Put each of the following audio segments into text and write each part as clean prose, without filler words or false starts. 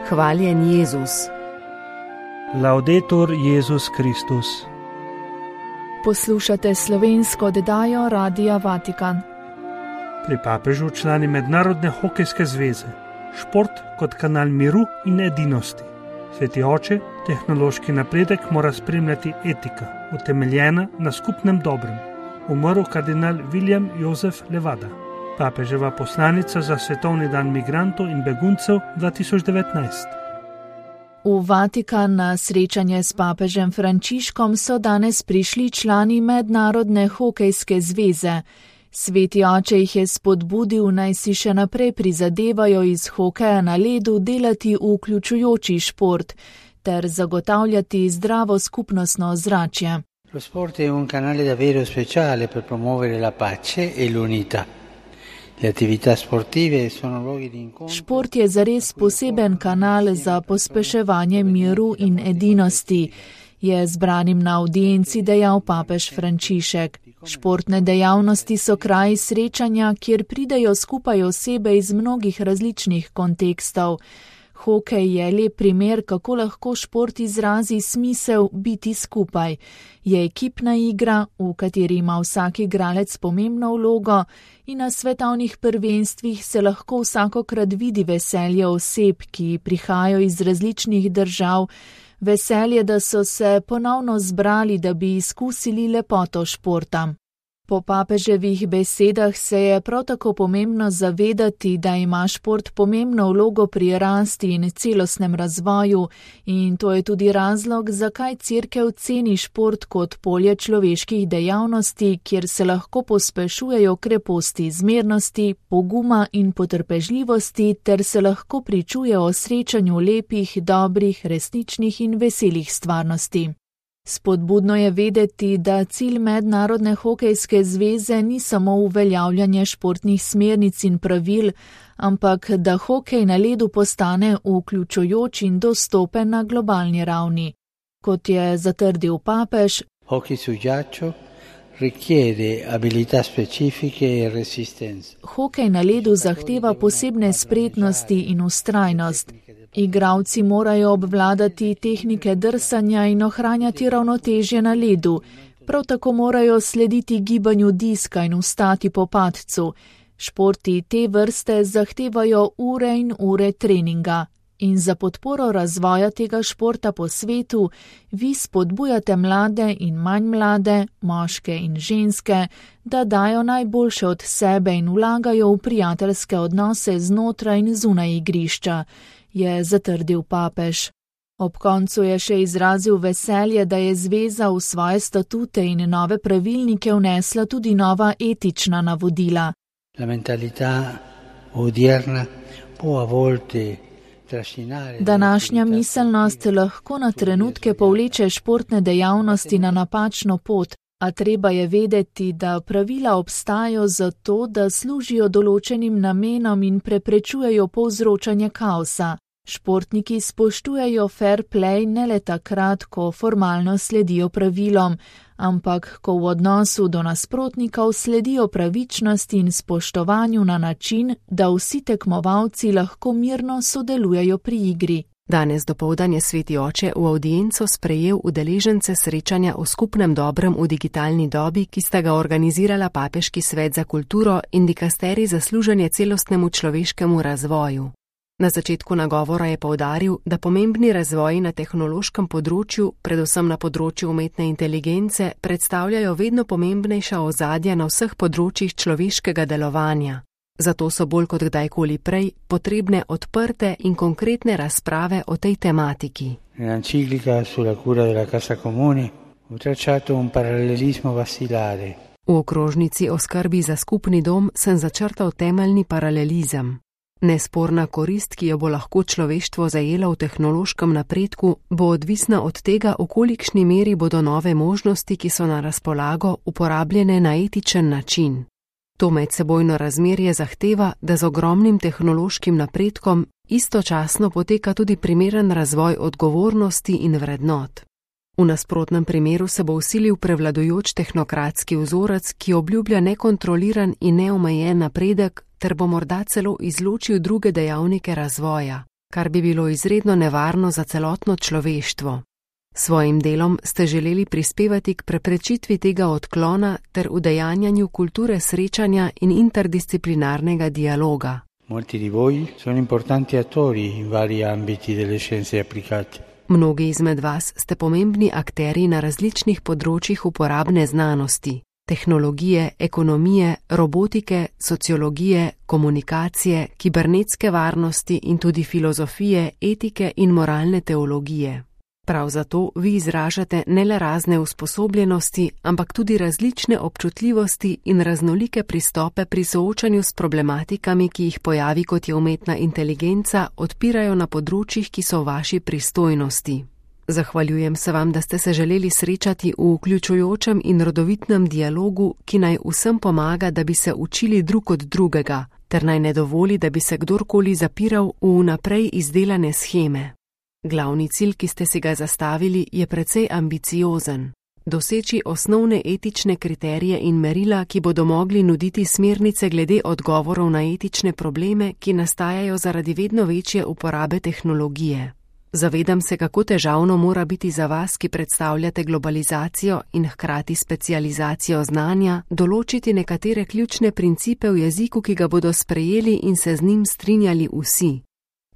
Hvaljen Jezus. Laudetur Jezus Kristus. Poslušate slovensko oddajo Radia Vatikan. Pri papežu člani Mednarodne hokejske zveze. Šport kot kanal miru in edinosti. Sveti oče, tehnološki napredek mora spremljati etika, utemeljena na skupnem dobrem. Umrl kardinal William Josef Levada, papeževa poslanica za Svetovni dan migrantov in beguncev 2019. V Vatikan na srečanje s papežem Frančiškom so danes prišli člani Mednarodne hokejske zveze. Sveti oče jih je spodbudil, naj si še naprej prizadevajo iz hokeja na ledu delati vključujoči šport ter zagotavljati zdravo skupnostno ozračje. Lo sport è un canale davvero speciale per promuovere la pace e l'unità. Le attività sportive sono luoghi di incontro. Šport je zares poseben kanal za pospeševanje miru in edinosti, je zbranim na audienci dejal papež Frančišek. Športne dejavnosti so kraji srečanja, kjer pridejo skupaj osebe iz mnogih različnih kontekstov. Hokej je lep primer, kako lahko šport izrazi smisel biti skupaj. Je ekipna igra, v kateri ima vsak igralec pomembno vlogo in na svetovnih prvenstvih se lahko vsakokrat vidi veselje oseb, ki prihajajo iz različnih držav, veselje, da so se ponovno zbrali, da bi izkusili lepoto športa. Po papeževih besedah se je prav tako pomembno zavedati, da ima šport pomembno vlogo pri rasti in celostnem razvoju in to je tudi razlog, zakaj Cerkev ceni šport kot polje človeških dejavnosti, kjer se lahko pospešujejo kreposti zmernosti, poguma in potrpežljivosti ter se lahko pričuje o srečanju lepih, dobrih, resničnih in veselih stvarnosti. Spodbudno je vedeti, da cilj Mednarodne hokejske zveze ni samo uveljavljanje športnih smernic in pravil, ampak da hokej na ledu postane vključujoč in dostopen na globalni ravni. Kot je zatrdil papež, Hokej su ghiaccio richiede abilità specifiche e resistenza. Hokej na ledu zahteva posebne spretnosti in vztrajnost. Igralci morajo obvladati tehnike drsanja in ohranjati ravnotežje na ledu. Prav tako morajo slediti gibanju diska in vstati po padcu. Športi te vrste zahtevajo ure in ure treninga. In za podporo razvoja tega športa po svetu vi spodbujate mlade in manj mlade, moške in ženske, da dajo najboljše od sebe in vlagajo v prijateljske odnose znotraj in zunaj igrišča, je zatrdil papež. Ob koncu je še izrazil veselje, da je zveza v svoje statute in nove pravilnike vnesla tudi nova etična navodila. La mentalità odierna può a volte Današnja miselnost lahko na trenutke povleče športne dejavnosti na napačno pot, a treba je vedeti, da pravila obstajajo zato, da služijo določenim namenom in preprečujejo povzročanje kaosa. Športniki spoštujejo fair play ne le takrat, ko formalno sledijo pravilom, ampak ko v odnosu do nasprotnikov sledijo pravičnosti in spoštovanju na način, da vsi tekmovalci lahko mirno sodelujejo pri igri. Danes dopoldan je sveti oče v audienco sprejel udeležence srečanja o skupnem dobrem v digitalni dobi, ki sta ga organizirala Papeški svet za kulturo in dikasterij za služenje celostnemu človeškemu razvoju. Na začetku nagovora je poudaril, da pomembni razvoji na tehnološkem področju, predvsem na področju umetne inteligence, predstavljajo vedno pomembnejša ozadja na vseh področjih človeškega delovanja. Zato so bolj kot kdajkoli prej potrebne odprte in konkretne razprave o tej tematiki. L'enciclica sulla cura della casa comune ho tracciato un parallelismo basilare. V okrožnici o skrbi za skupni dom sem začrtal temeljni paralelizem. Nesporna korist, ki jo bo lahko človeštvo zajelo v tehnološkem napredku, bo odvisna od tega, v kolikšni meri bodo nove možnosti, ki so na razpolago, uporabljene na etičen način. To medsebojno razmerje zahteva, da z ogromnim tehnološkim napredkom istočasno poteka tudi primeren razvoj odgovornosti in vrednot. V nasprotnem primeru se bo vsilil prevladujoč tehnokratski vzorec, ki obljublja nekontroliran in neomejen napredek ter bo morda celo izločil druge dejavnike razvoja, kar bi bilo izredno nevarno za celotno človeštvo. Svojim delom ste želeli prispevati k preprečitvi tega odklona ter udejanjanju kulture srečanja in interdisciplinarnega dialoga. Molti di voi sono importanti attori in vari ambiti delle scienze applicate. Mnogi izmed vas ste pomembni akteri na različnih področjih uporabne znanosti, tehnologije, ekonomije, robotike, sociologije, komunikacije, kibernetske varnosti in tudi filozofije, etike in moralne teologije. Prav zato vi izražate ne le razne usposobljenosti, ampak tudi različne občutljivosti in raznolike pristope pri soočanju s problematikami, ki jih pojavi kot je umetna inteligenca, odpirajo na področjih, ki so v vaši pristojnosti. Zahvaljujem se vam, da ste se želeli srečati v vključujočem in rodovitnem dialogu, ki naj vsem pomaga, da bi se učili drug od drugega, ter naj ne dovoli, da bi se kdorkoli zapiral v vnaprej izdelane sheme. Glavni cilj, ki ste si ga zastavili, je precej ambiciozen. Doseči osnovne etične kriterije in merila, ki bodo mogli nuditi smernice glede odgovorov na etične probleme, ki nastajajo zaradi vedno večje uporabe tehnologije. Zavedam se, kako težavno mora biti za vas, ki predstavljate globalizacijo in hkrati specializacijo znanja, določiti nekatere ključne principe v jeziku, ki ga bodo sprejeli in se z njim strinjali vsi.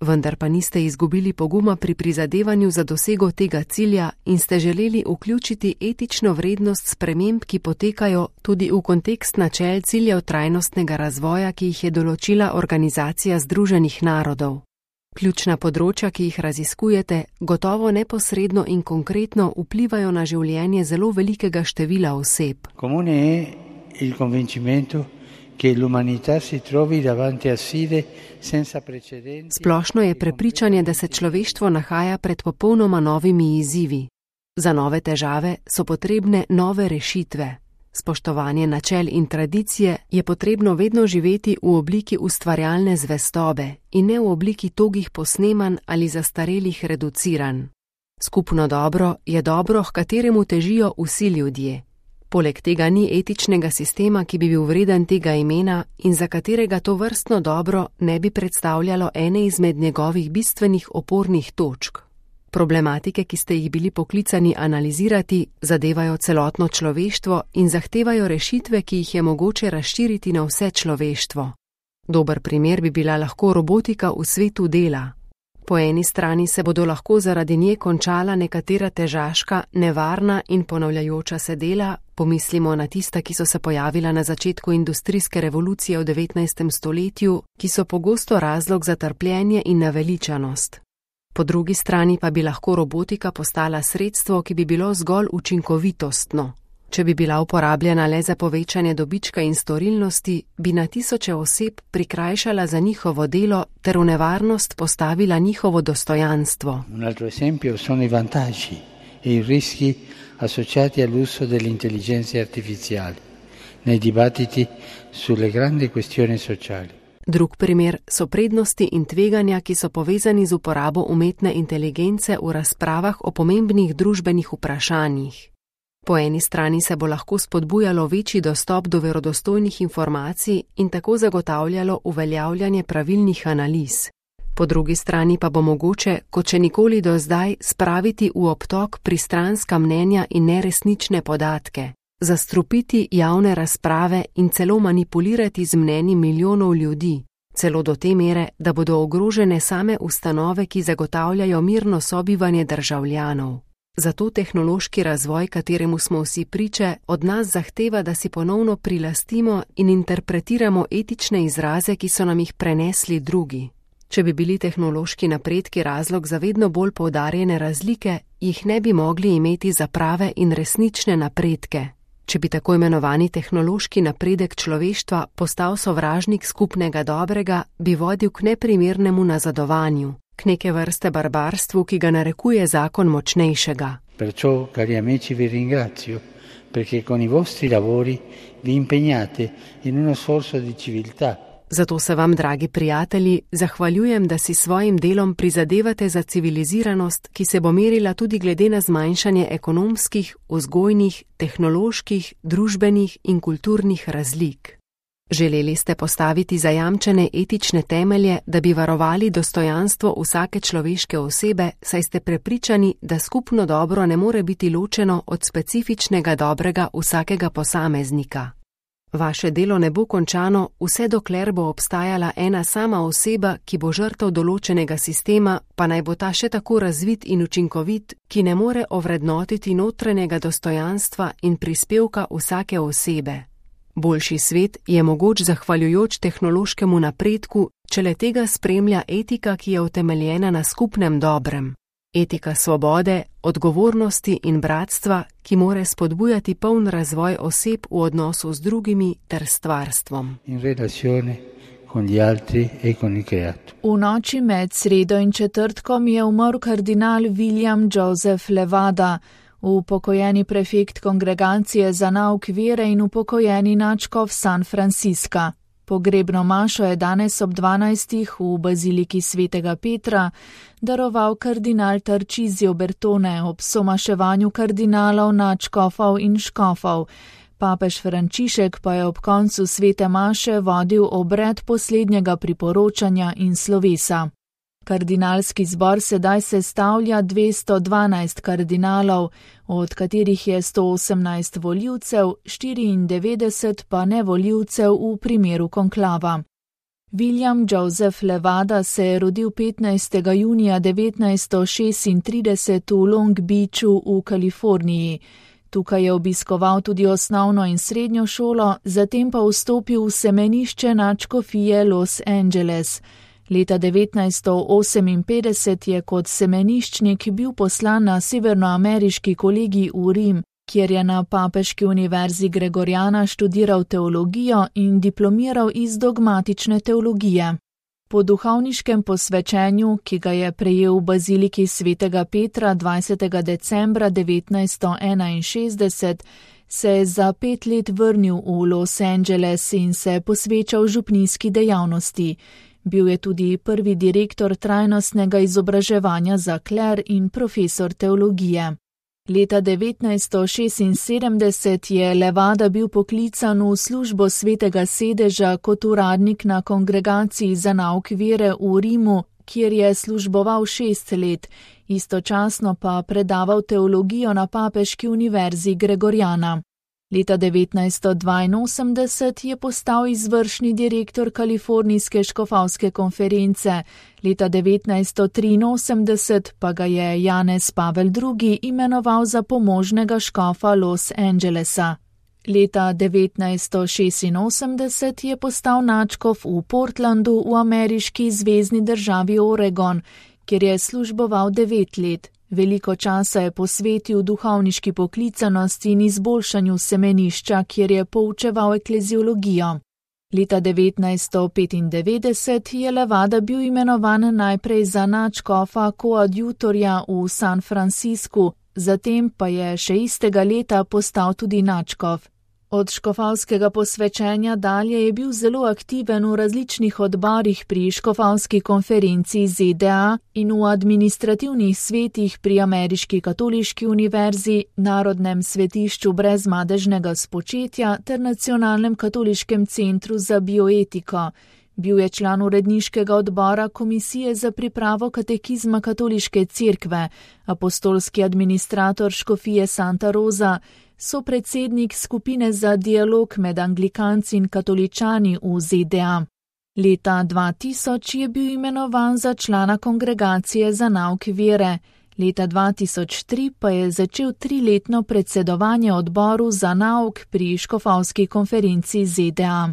Vendar pa niste izgubili poguma pri prizadevanju za dosego tega cilja in ste želeli vključiti etično vrednost sprememb, ki potekajo tudi v kontekst načel ciljev trajnostnega razvoja, ki jih je določila Organizacija Združenih narodov. Ključna področja, ki jih raziskujete, gotovo neposredno in konkretno vplivajo na življenje zelo velikega števila oseb. Comune è il convincimento che l'umanità si trovi davanti a sfide senza precedenti. Splošno je prepričanje, da se človeštvo nahaja pred popolnoma novimi izzivi. Za nove težave so potrebne nove rešitve. Spoštovanje načel in tradicije je potrebno vedno živeti v obliki ustvarjalne zvestobe in ne v obliki togih posnemanj ali zastarelih reduciranj. Skupno dobro je dobro, h kateremu težijo vsi ljudje. Poleg tega ni etičnega sistema, ki bi bil vreden tega imena in za katerega to vrstno dobro ne bi predstavljalo ene izmed njegovih bistvenih opornih točk. Problematike, ki ste jih bili poklicani analizirati, zadevajo celotno človeštvo in zahtevajo rešitve, ki jih je mogoče razširiti na vse človeštvo. Dober primer bi bila lahko robotika v svetu dela. Po eni strani se bodo lahko zaradi nje končala nekatera težaška, nevarna in ponavljajoča se dela, pomislimo na tista, ki so se pojavila na začetku industrijske revolucije v 19. stoletju, ki so pogosto razlog za trpljenje in naveličanost. Po drugi strani pa bi lahko robotika postala sredstvo, ki bi bilo zgolj učinkovitostno. Če bi bila uporabljena le za povečanje dobička in storilnosti, bi na tisoče oseb prikrajšala za njihovo delo ter v nevarnost postavila njihovo dostojanstvo. Un altro esempio sono i vantaggi e i rischi associati all'uso delle intelligenze artificiali nei dibattiti sulle grandi questioni sociali. Drug primer so prednosti in tveganja, ki so povezani z uporabo umetne inteligence v razpravah o pomembnih družbenih vprašanjih. Po eni strani se bo lahko spodbujalo večji dostop do verodostojnih informacij in tako zagotavljalo uveljavljanje pravilnih analiz. Po drugi strani pa bo mogoče, kot še nikoli do zdaj, spraviti v obtok pristranska mnenja in neresnične podatke, zastrupiti javne razprave in celo manipulirati z mnenji milijonov ljudi, celo do te mere, da bodo ogrožene same ustanove, ki zagotavljajo mirno sobivanje državljanov. Zato tehnološki razvoj, kateremu smo vsi priče, od nas zahteva, da si ponovno prilastimo in interpretiramo etične izraze, ki so nam jih prenesli drugi. Če bi bili tehnološki napredki razlog za vedno bolj poudarjene razlike, jih ne bi mogli imeti za prave in resnične napredke. Če bi tako imenovani tehnološki napredek človeštva postal sovražnik skupnega dobrega, bi vodil k neprimernemu nazadovanju, k neke vrste barbarstvu, ki ga narekuje zakon močnejšega. Perciò, cari amici, vi ringrazio, perché con i vostri lavori vi impegnate in uno sforzo di civiltà. Zato se vam, dragi prijatelji, zahvaljujem, da si svojim delom prizadevate za civiliziranost, ki se bo merila tudi glede na zmanjšanje ekonomskih, vzgojnih, tehnoloških, družbenih in kulturnih razlik. Želeli ste postaviti zajamčene etične temelje, da bi varovali dostojanstvo vsake človeške osebe, saj ste prepričani, da skupno dobro ne more biti ločeno od specifičnega dobrega vsakega posameznika. Vaše delo ne bo končano, vse dokler bo obstajala ena sama oseba, ki bo žrtev določenega sistema, pa naj bo ta še tako razvit in učinkovit, ki ne more ovrednotiti notranjega dostojanstva in prispevka vsake osebe. Boljši svet je mogoč zahvaljujoč tehnološkemu napredku, če le tega spremlja etika, ki je utemeljena na skupnem dobrem. Etika svobode, odgovornosti in bratstva, ki more spodbujati poln razvoj oseb v odnosu z drugimi ter stvarstvom. V noči med sredo in četrtkom je umrl kardinal William Joseph Levada, upokojeni prefekt kongregacije za nauk vere in upokojeni nadškof San Francisca. Pogrebno mašo je danes ob 12. v baziliki svetega Petra daroval kardinal Tarcísio Bertone ob somaševanju kardinalov, nadškofov in škofov. Papež Frančišek pa je ob koncu svete maše vodil obred poslednjega priporočanja in slovesa. Kardinalski zbor sedaj sestavlja 212 kardinalov, od katerih je 118 volivcev, 94 pa nevolivcev v primeru konklava. William Joseph Levada se je rodil 15. junija 1936 v Long Beachu v Kaliforniji. Tukaj je obiskoval tudi osnovno in srednjo šolo, zatem pa vstopil v semenišče nadškofije Los Angeles. Leta 1958 je kot semeniščnik bil poslan na severnoameriški kolegij v Rim, kjer je na Papeški univerzi Gregoriana študiral teologijo in diplomiral iz dogmatične teologije. Po duhovniškem posvečenju, ki ga je prejel v baziliki svetega Petra 20. decembra 1961, se je za 5 let vrnil v Los Angeles in se posvečal župnijski dejavnosti. Bil je tudi prvi direktor trajnostnega izobraževanja za kler in profesor teologije. Leta 1976 je Levada bil poklican v službo svetega sedeža kot uradnik na kongregaciji za nauk vere v Rimu, kjer je služboval 6 let, istočasno pa predaval teologijo na Papeški univerzi Gregoriana. Leta 1982 je postal izvršni direktor Kalifornijske škofovske konference, leta 1983 pa ga je Janez Pavel II. Imenoval za pomožnega škofa Los Angelesa. Leta 1986 je postal nadškof v Portlandu v ameriški zvezni državi Oregon, kjer je služboval 9 let. Veliko časa je posvetil duhovniški poklicanosti in izboljšanju semenišča, kjer je poučeval ekleziologijo. Leta 1995 je Levada bil imenovan najprej za nadškofa koadjutorja v San Franciscu, zatem pa je še istega leta postal tudi nadškof. Od škofovskega posvečenja dalje je bil zelo aktiven v različnih odborih pri škofovski konferenci ZDA in v administrativnih svetih pri Ameriški katoliški univerzi, Narodnem svetišču brezmadežnega spočetja ter Nacionalnem katoliškem centru za bioetiko. Bil je član uredniškega odbora Komisije za pripravo katekizma katoliške cerkve, apostolski administrator škofije Santa Rosa, sopredsednik skupine za dialog med anglikanci in katoličani v ZDA. Leta 2000 je bil imenovan za člana kongregacije za nauk vere. Leta 2003 pa je začel 3-letno predsedovanje odboru za nauk pri škofovski konferenci ZDA.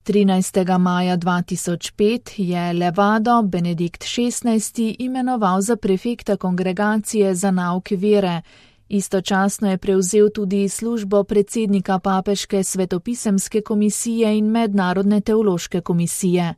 13. maja 2005 je Levado Benedikt XVI. Imenoval za prefekta kongregacije za nauk vere. Istočasno je prevzel tudi službo predsednika Papeške svetopisemske komisije in Mednarodne teološke komisije.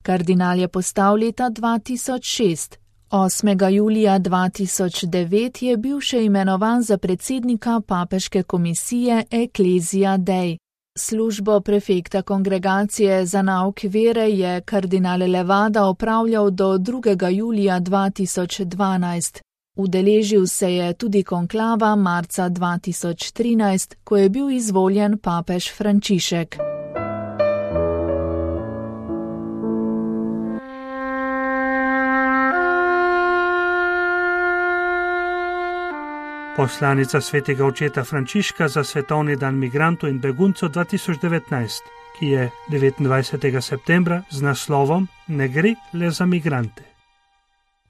Kardinal je postal leta 2006. 8. julija 2009 je bil še imenovan za predsednika Papeške komisije Ecclesia Dei. Službo prefekta kongregacije za nauk vere je kardinal Levada opravljal do 2. julija 2012. Udeležil se je tudi konklava marca 2013, ko je bil izvoljen papež Frančišek. Poslanica svetega očeta Frančiška za Svetovni dan migrantov in beguncev 2019, ki je 29. septembra z naslovom Ne gre le za migrante.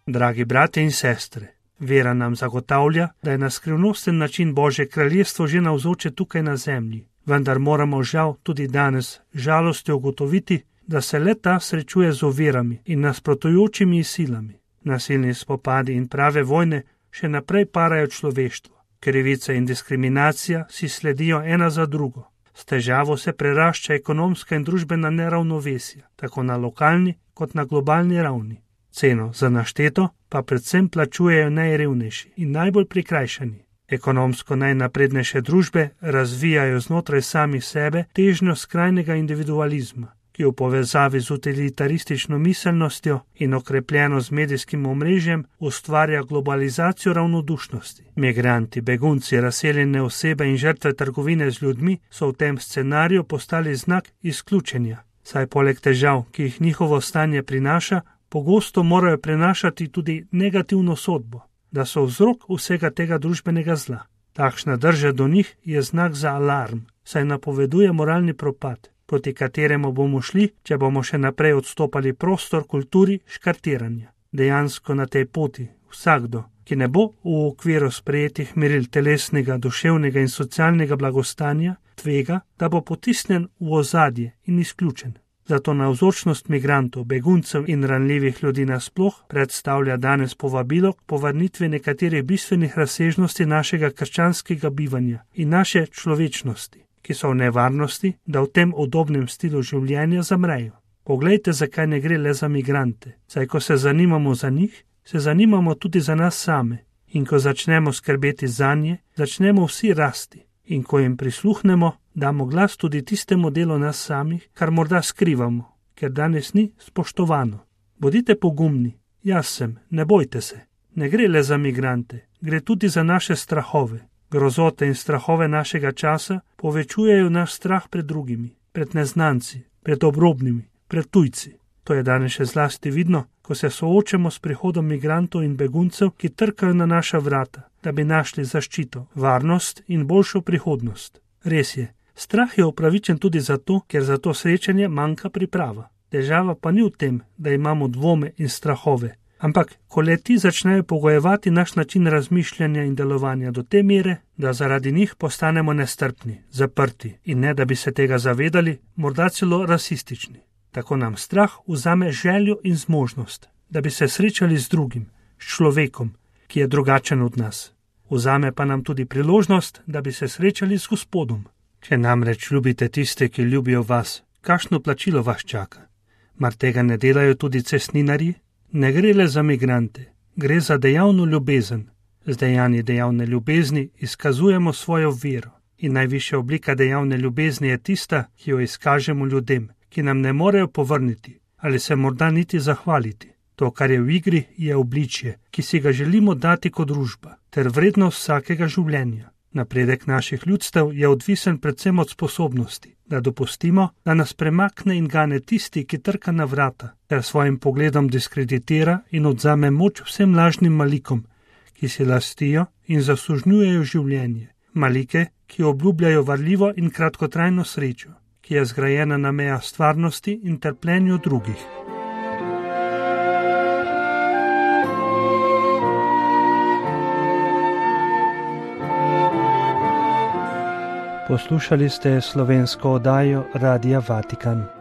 Dragi brate in sestre, vera nam zagotavlja, da je na skrivnosten način Božje kraljestvo že navzoče tukaj na zemlji, vendar moramo žal tudi danes žalostjo ugotoviti, da se le-ta srečuje z ovirami in nasprotujočimi silami. Nasilni spopadi in prave vojne še naprej parajo človeštvo. Krivica in diskriminacija si sledijo ena za drugo. S težavo se prerašča ekonomska in družbena neravnovesja, tako na lokalni kot na globalni ravni. Ceno za našteto pa predvsem plačujejo najrevnejši in najbolj prikrajšani. Ekonomsko najnaprednejše družbe razvijajo znotraj samih sebe težnjo skrajnega individualizma, ki v povezavi z utilitaristično miselnostjo in okrepljeno z medijskim omrežjem ustvarja globalizacijo ravnodušnosti. Migranti, begunci, razseljene osebe in žrtve trgovine z ljudmi so v tem scenariju postali znak izključenja, saj poleg težav, ki jih njihovo stanje prinaša, pogosto morajo prenašati tudi negativno sodbo, da so vzrok vsega tega družbenega zla. Takšna drža do njih je znak za alarm, saj napoveduje moralni propad, proti kateremu bomo šli, če bomo še naprej odstopali prostor kulturi škartiranja. Dejansko na tej poti vsakdo, ki ne bo v okviru sprejetih meril telesnega, duševnega in socialnega blagostanja, tvega, da bo potisnjen v ozadje in izključen. Zato navzočnost migrantov, beguncev in ranljivih ljudi nasploh predstavlja danes povabilo k povrnitvi nekaterih bistvenih razsežnosti našega krščanskega bivanja in naše človečnosti, ki so v nevarnosti, da v tem udobnem stilu življenja zamrejo. Poglejte, zakaj ne gre le za migrante, saj ko se zanimamo za njih, se zanimamo tudi za nas same, in ko začnemo skrbeti zanje, začnemo vsi rasti, in ko jim prisluhnemo, damo glas tudi tistemu delu nas samih, kar morda skrivamo, ker danes ni spoštovano. Bodite pogumni, jaz sem, ne bojte se. Ne gre le za migrante, gre tudi za naše strahove. Grozote in strahove našega časa povečujejo naš strah pred drugimi, pred neznanci, pred obrobnimi, pred tujci. To je danes še zlasti vidno, ko se soočamo s prihodom migrantov in beguncev, ki trkajo na naša vrata, da bi našli zaščito, varnost in boljšo prihodnost. Res je, strah je upravičen tudi zato, ker za to srečanje manjka priprava. Težava pa ni v tem, da imamo dvome in strahove, ampak ko le-ti začnejo pogojevati naš način razmišljanja in delovanja do te mere, da zaradi njih postanemo nestrpni, zaprti in ne da bi se tega zavedali, morda celo rasistični. Tako nam strah vzame željo in zmožnost, da bi se srečali z drugim, s človekom, ki je drugačen od nas. Vzame pa nam tudi priložnost, da bi se srečali z Gospodom. Če namreč ljubite tiste, ki ljubijo vas, kakšno plačilo vas čaka? Mar tega ne delajo tudi cestninarji? Ne gre le za migrante, gre za dejavno ljubezen. Z dejanji dejavne ljubezni izkazujemo svojo vero. In najvišja oblika dejavne ljubezni je tista, ki jo izkažemo ljudem, ki nam ne morejo povrniti ali se morda niti zahvaliti. To, kar je v igri, je obličje, ki si ga želimo dati kot družba, ter vrednost vsakega življenja. Napredek naših ljudstev je odvisen predvsem od sposobnosti, da dopustimo, da nas premakne in gane tisti, ki trka na vrata, ter svojim pogledom diskreditira in odzame moč vsem lažnim malikom, ki si lastijo in zasužnjujejo življenje. Malike, ki obljubljajo varljivo in kratkotrajno srečo, ki je zgrajena na mejah stvarnosti in trpljenju drugih. Poslušali ste slovensko oddajo Radia Vatikan.